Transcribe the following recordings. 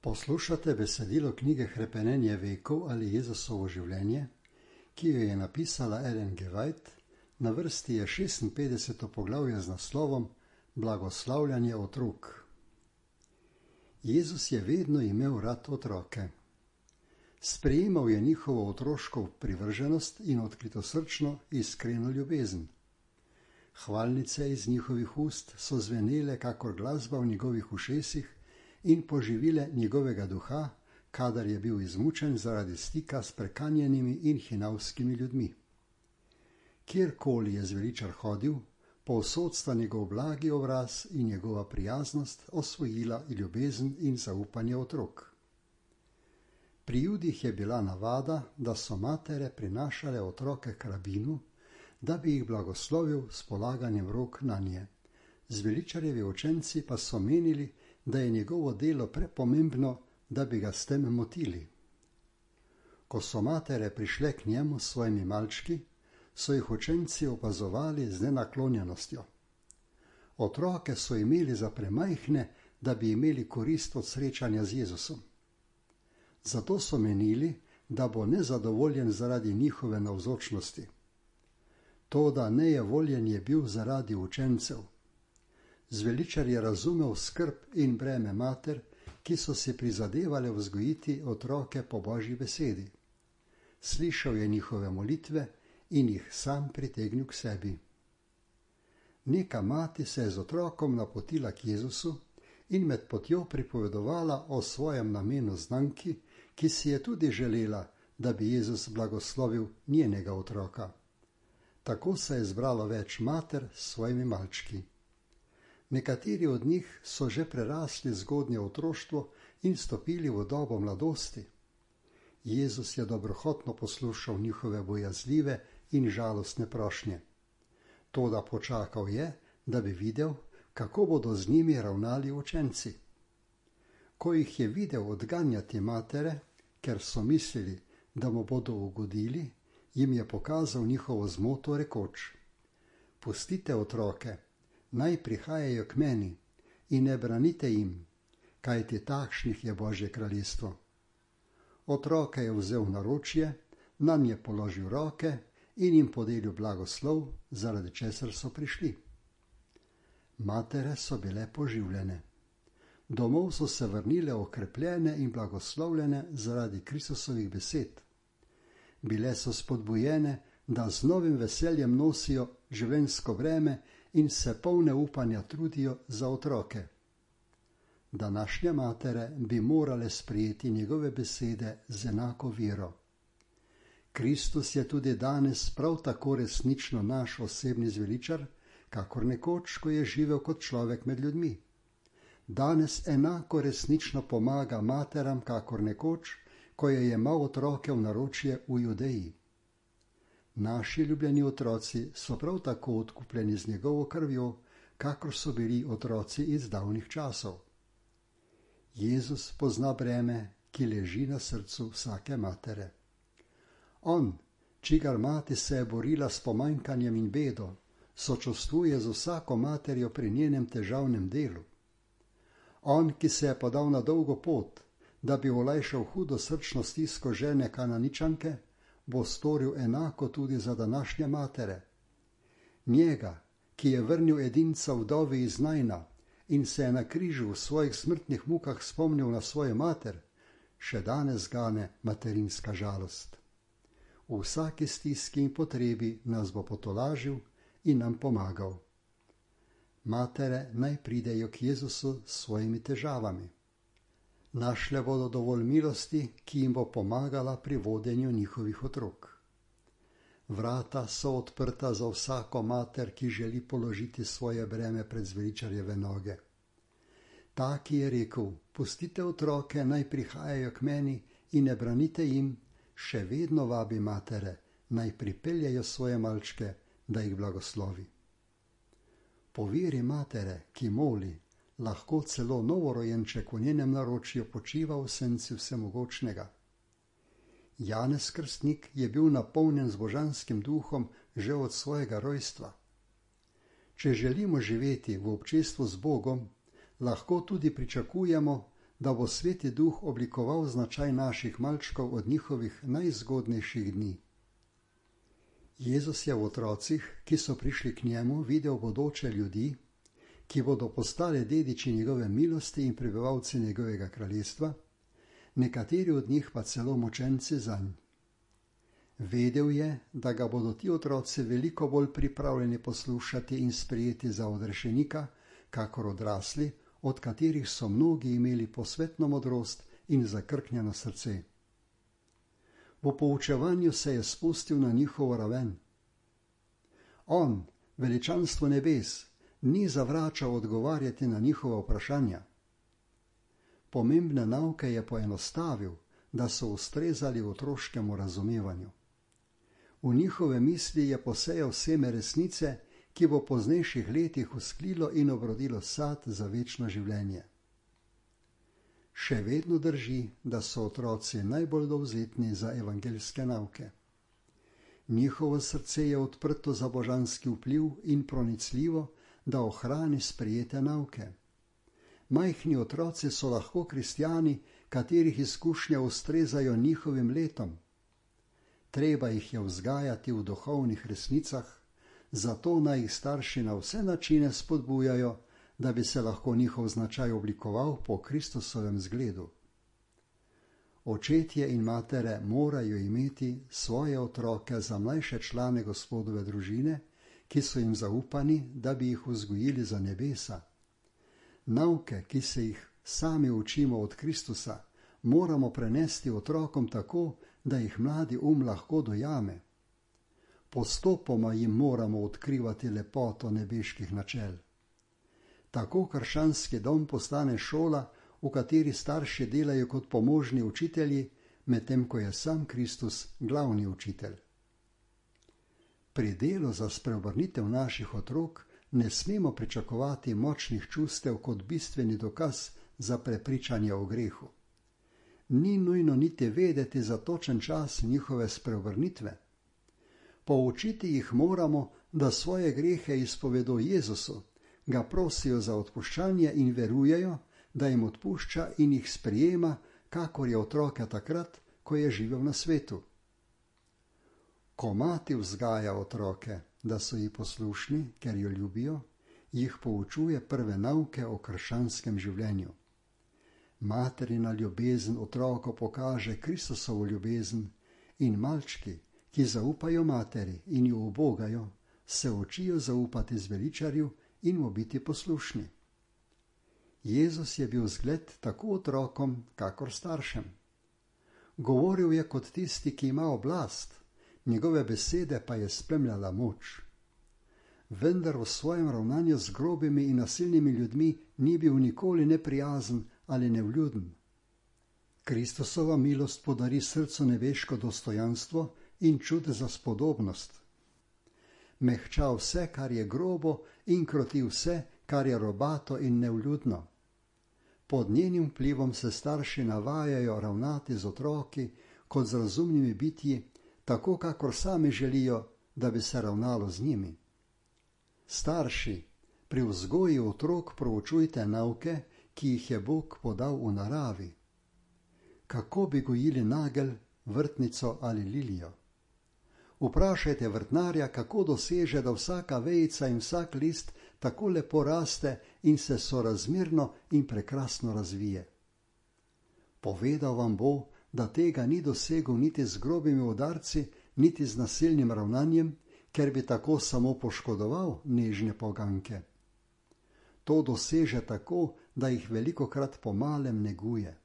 Poslušate besedilo knjige Hrepenenje vekov ali Jezusovo življenje, ki jo je napisala Ellen G. White. Na vrsti je 56. poglavje z naslovom Blagoslavljanje otrok. Jezus je vedno imel rad otroke. Sprejemal je njihovo otroško privrženost in odkritosrčno, iskreno ljubezen. Hvalnice iz njihovih ust so zvenele kakor glasba v njegovih ušesih in poživile njegovega duha, kadar je bil izmučen zaradi stika s prekanjenimi in hinavskimi ljudmi. Kjerkoli je zveličar hodil, povsod sta njegov blagi obraz in njegova prijaznost osvojila ljubezen in zaupanje otrok. Pri Judih je bila navada, da so matere prinašale otroke k rabinu, da bi jih blagoslovil s polaganjem rok nanje. Zveličarjevi učenci pa so menili, da je njegovo delo prepomembno, da bi ga s tem motili. Ko so matere prišle k njemu s svojimi malčki, so jih učenci opazovali z nenaklonjenostjo. Otroke so imeli za premajhne, da bi imeli korist od srečanja z Jezusom. Zato so menili, da bo nezadovoljen zaradi njihove navzočnosti. Toda nejevoljen je bil zaradi učencev. Zveličar je razumel skrb in breme mater, ki so si prizadevale vzgojiti otroke po Božji besedi. Slišal je njihove molitve in jih sam pritegnil k sebi. Neka mati se je z otrokom napotila k Jezusu in med potjo pripovedovala o svojem namenu znanki, ki si je tudi želela, da bi Jezus blagoslovil njenega otroka. Tako se je zbralo več mater s svojimi malčki. Nekateri od njih so že prerasli zgodnje otroštvo in stopili v dobo mladosti. Jezus je dobrohotno poslušal njihove bojazljive in žalostne prošnje. Toda počakal je, da bi videl, kako bodo z njimi ravnali učenci. Ko jih je videl odganjati matere, ker so mislili, da mu bodo ugodili, jim je pokazal njihovo zmoto rekoč: Pustite otroke, naj prihajajo k meni in ne branite jim, kajti takšnih je Božje kraljestvo. Otroke je vzel v naročje, nanje položil roke in jim podelil blagoslov, zaradi česar so prišli. Matere so bile poživljene. Domov so se vrnile okrepljene in blagoslovljene zaradi Kristusovih besed. Bile so spodbujene, da z novim veseljem nosijo življenjsko breme in se polne upanja trudijo za otroke. Današnje matere bi morale sprejeti njegove besede z enako vero. Kristus je tudi danes prav tako resnično naš osebni zveličar, kakor nekoč, ko je živel kot človek med ljudmi. Danes enako resnično pomaga materam, kakor nekoč, ko je jemal otroke v naročje v Judeji. Naši ljubljeni otroci so prav tako odkupljeni z njegovo krvjo, kakor so bili otroci iz davnih časov. Jezus pozna breme, ki leži na srcu vsake matere. On, čigar mati se je borila s pomanjkanjem in bedo, sočustvuje z vsako materjo pri njenem težavnem delu. On, ki se je podal na dolgo pot, da bi olajšal hudo srčno stisko žene Kananičanke, bo storil enako tudi za današnje matere. Njega, ki je vrnil edinca vdovi iz Najna in se je na križu v svojih smrtnih mukah spomnil na svojo mater, še danes gane materinska žalost. V vsaki stiski in potrebi nas bo potolažil in nam pomagal. Matere naj pridejo k Jezusu s svojimi težavami. Našle bodo dovolj milosti, ki jim bo pomagala pri vodenju njihovih otrok. Vrata so odprta za vsako mater, ki želi položiti svoje breme pred zveličarjeve noge. Ta, ki je rekel: Pustite otroke, naj prihajajo k meni in ne branite jim, še vedno vabi matere, naj pripeljajo svoje malčke, da jih blagoslovi. Po veri matere, ki moli, lahko celo novorojenček v njenem naročju počiva v senci vsemogočnega. Janez Krstnik je bil napolnjen z božanskim duhom že od svojega rojstva. Če želimo živeti v občestvu z Bogom, lahko tudi pričakujemo, da bo Sveti Duh oblikoval značaj naših malčkov od njihovih najzgodnejših dni. Jezus je v otrocih, ki so prišli k njemu, videl bodoče ljudi, ki bodo postali dediči njegove milosti in prebivalci njegovega kraljestva, nekateri od njih pa celo mučenci zanj. Vedel je, da ga bodo ti otroci veliko bolj pripravljeni poslušati in sprejeti za odrešenika, kakor odrasli, od katerih so mnogi imeli posvetno modrost in zakrknjeno srce. V poučevanju se je spustil na njihovo raven. On, veličanstvo nebes, ni zavračal odgovarjati na njihova vprašanja. Pomembne nauke je poenostavil, da so ustrezali otroškemu razumevanju. V njihove misli je posejal seme resnice, ki bo v poznejših letih vzklilo in obrodilo sad za večno življenje. Še vedno drži, da so otroci najbolj dovzetni za evangeljske nauke. Njihovo srce je odprto za božanski vpliv in pronicljivo, da ohrani sprejete nauke. Majhni otroci so lahko kristjani, katerih izkušnje ustrezajo njihovim letom. Treba jih je vzgajati v duhovnih resnicah, zato naj jih starši na vse načine spodbujajo, da bi se lahko njihov značaj oblikoval po Kristusovem zgledu. Očetje in matere morajo imeti svoje otroke za mlajše člane Gospodove družine, ki so jim zaupani, da bi jih vzgojili za nebesa. Nauke, ki se jih sami učimo od Kristusa, moramo prenesti otrokom tako, da jih mladi lahko dojame. Postopoma jim moramo odkrivati lepoto nebeških načel. Tako krščanski dom postane šola, v kateri starši delajo kot pomožni učitelji, medtem ko je sam Kristus glavni učitelj. Pri delu za spreobrnitev naših otrok ne smemo pričakovati močnih čustev kot bistveni dokaz za prepričanje o grehu. Ni nujno niti vedeti za točen čas njihove spreobrnitve. Poučiti jih moramo, da svoje grehe izpovedo Jezusu, ga prosijo za odpuščanje in verujejo, da jim odpušča in jih sprejema, kakor je otroke takrat, ko je živel na svetu. Ko mati vzgaja otroke, da so ji poslušni, ker jo ljubijo, jih poučuje prve nauke o krščanskem življenju. Materina ljubezen otroku pokaže Kristusovo ljubezen in malčki, ki zaupajo materi in jo ubogajo, se učijo zaupati zveličarju in mu biti poslušni. Jezus je bil zgled tako otrokom, kakor staršem. Govoril je kot tisti, ki ima oblast, njegove besede pa je spremljala moč. Vendar v svojem ravnanju z grobimi in nasilnimi ljudmi ni bil nikoli neprijazen ali nevljuden. Kristusova milost podari srcu nebeško dostojanstvo in čut za spodobnost. Mehča vse, kar je grobo, in kroti vse, kar je robato in nevljudno. Pod njenim vplivom se starši navajajo ravnati z otroki kot z razumnimi bitji, tako kakor sami želijo, da bi se ravnalo z njimi. Starši, pri vzgoji otrok proučujte nauke, ki jih je Bog podal v naravi. Kako bi gojili nagelj, vrtnico ali lilijo? Vprašajte vrtnarja, kako doseže, da vsaka vejica in vsak list tako lepo raste in se sorazmerno in prekrasno razvije. Povedal vam bo, da tega ni dosegel niti z grobimi udarci, niti z nasilnim ravnanjem, ker bi tako samo poškodoval nežne poganke. To doseže tako, da jih velikokrat po malem neguje.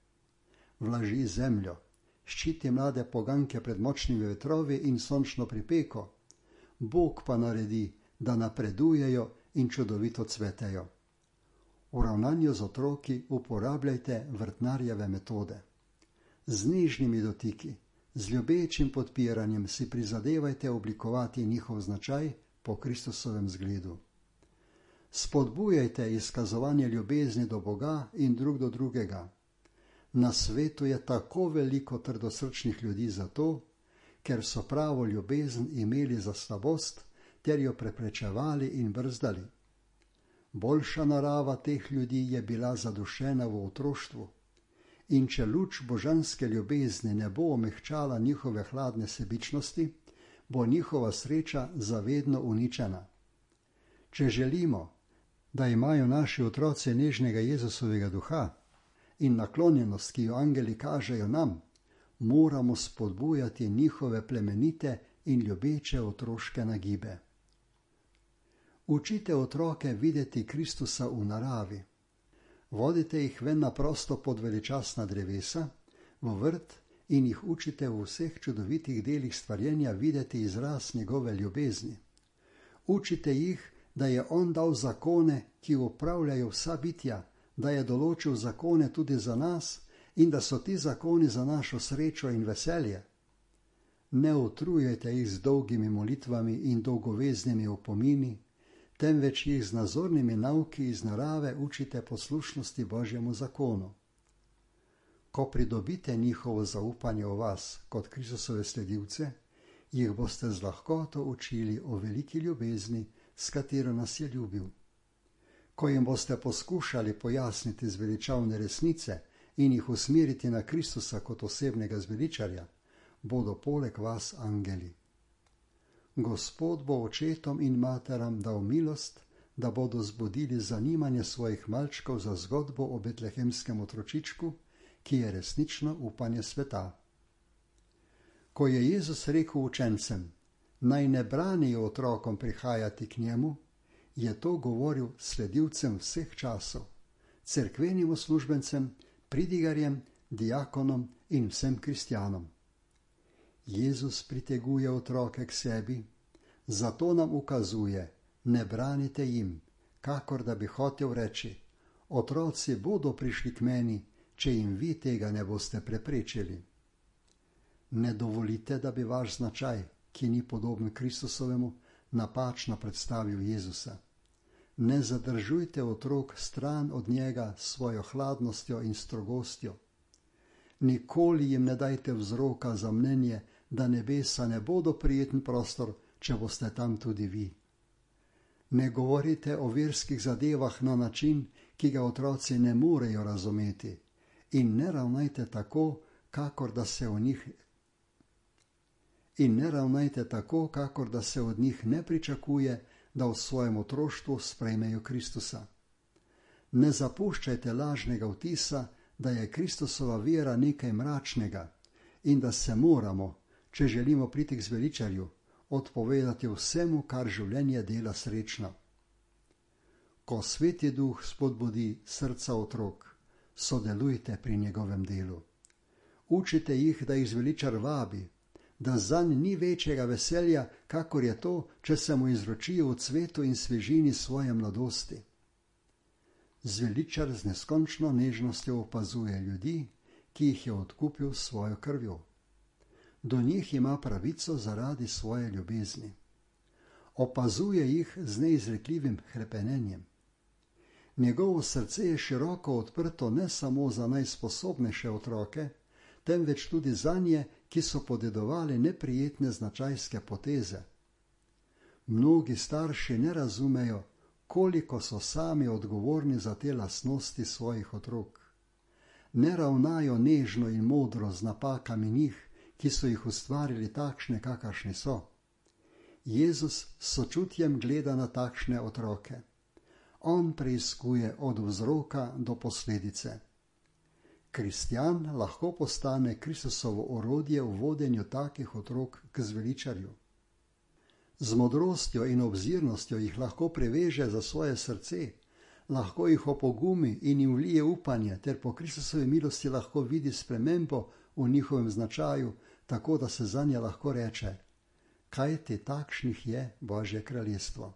Vlaži zemljo, ščiti mlade poganke pred močnimi vetrovi in sončno pripeko. Bog pa naredi, da napredujejo in čudovito cvetejo. V ravnanju z otroki uporabljajte vrtnarjeve metode. Z nežnimi dotiki, z ljubečim podpiranjem si prizadevajte oblikovati njihov značaj po Kristusovem zgledu. Spodbujajte izkazovanje ljubezni do Boga in drug do drugega. Na svetu je tako veliko trdosrčnih ljudi zato, ker so pravo ljubezen imeli za slabost ter jo preprečevali in brzdali. Boljša narava teh ljudi je bila zadušena v otroštvu. in če luč božanske ljubezni ne bo omehčala njihove hladne sebičnosti, bo njihova sreča zavedno uničena. Če želimo, da imajo naši otroci nežnega Jezusovega duha in naklonjenost, ki jo angeli kažejo nam, moramo spodbujati njihove plemenite in ljubeče otroške nagibe. Učite otroke videti Kristusa v naravi. Vodite jih ven na prosto pod veličastna drevesa, v vrt in jih učite v vseh čudovitih delih stvarjenja videti izraz njegove ljubezni. Učite jih, da je on dal zakone, ki upravljajo vsa bitja, da je določil zakone tudi za nas in da so ti zakoni za našo srečo in veselje. Ne utrujajte jih z dolgimi molitvami in dolgoveznimi opomini, temveč jih z nazornimi nauki iz narave učite poslušnosti Božjemu zakonu. Ko pridobite njihovo zaupanje v vas kot Kristusove sledilce, jih boste z lahkoto učili o veliki ljubezni, s katero nas je ljubil. Ko jim boste poskušali pojasniti zveličavne resnice in jih usmeriti na Kristusa kot osebnega zveličarja, bodo poleg vas angeli. Gospod bo očetom in materam dal milost, da bodo zbudili zanimanje svojih malčkov za zgodbo o betlehemskem otročičku, ki je resnično upanje sveta. Ko je Jezus rekel učencem, naj ne branijo otrokom prihajati k njemu, je to govoril sledilcem vseh časov, cerkvenim uslužbencem, pridigarjem, diakonom in vsem kristjanom. Jezus priteguje otroke k sebi, zato nam ukazuje, ne branite jim, kakor da bi hotel reči, otroci bodo prišli k meni, če jim vi tega ne boste preprečili. Ne dovolite, da bi vaš značaj, ki ni podoben Kristusovemu, napačno predstavil Jezusa. Ne zadržujte otrok stran od njega s svojo hladnostjo in strogostjo. Nikoli jim ne dajte vzroka za mnenje, da nebesa ne bodo prijeten prostor, če boste tam tudi vi. Ne govorite o verskih zadevah na način, ki ga otroci ne morejo razumeti, in ne ravnajte tako, kakor da se od njih ne pričakuje, da v svojem otroštvu sprejmejo Kristusa. Ne zapuščajte lažnega vtisa, da je Kristusova vera nekaj mračnega in da se moramo, če želimo priti k zveličarju, odpovedati vsemu, kar življenje dela srečno. Ko Sveti Duh spodbudi srca otrok, sodelujte pri njegovem delu. Učite jih, da jih zveličar vabi, da zanj ni večjega veselja, kakor je to, če se mu izročijo v cvetu in svežini svoje mladosti. Zveličar z neskončno nežnostjo opazuje ljudi, ki jih je odkupil s svojo krvjo. Do njih ima pravico zaradi svoje ljubezni. Opazuje jih z neizrekljivim hrepenenjem. Njegovo srce je široko odprto ne samo za najsposobnejše otroke, temveč tudi zanje, ki so podedovali neprijetne značajske poteze. Mnogi starši ne razumejo, koliko so sami odgovorni za te lastnosti svojih otrok. Ne ravnajo nežno in modro z napakami njih, ki so jih ustvarili takšne, kakršni so. Jezus s sočutjem gleda na takšne otroke. On preiskuje od vzroka do posledice. Kristjan lahko postane Kristusovo orodje v vodenju takih otrok k zveličarju. Z modrostjo in obzirnostjo jih lahko preveže za svoje srce, lahko jih opogumi in jim vlije upanje, ter po Kristusovi milosti lahko vidi spremembo v njihovem značaju, tako da se zanje lahko reče, kajti takšnih je Božje kraljestvo.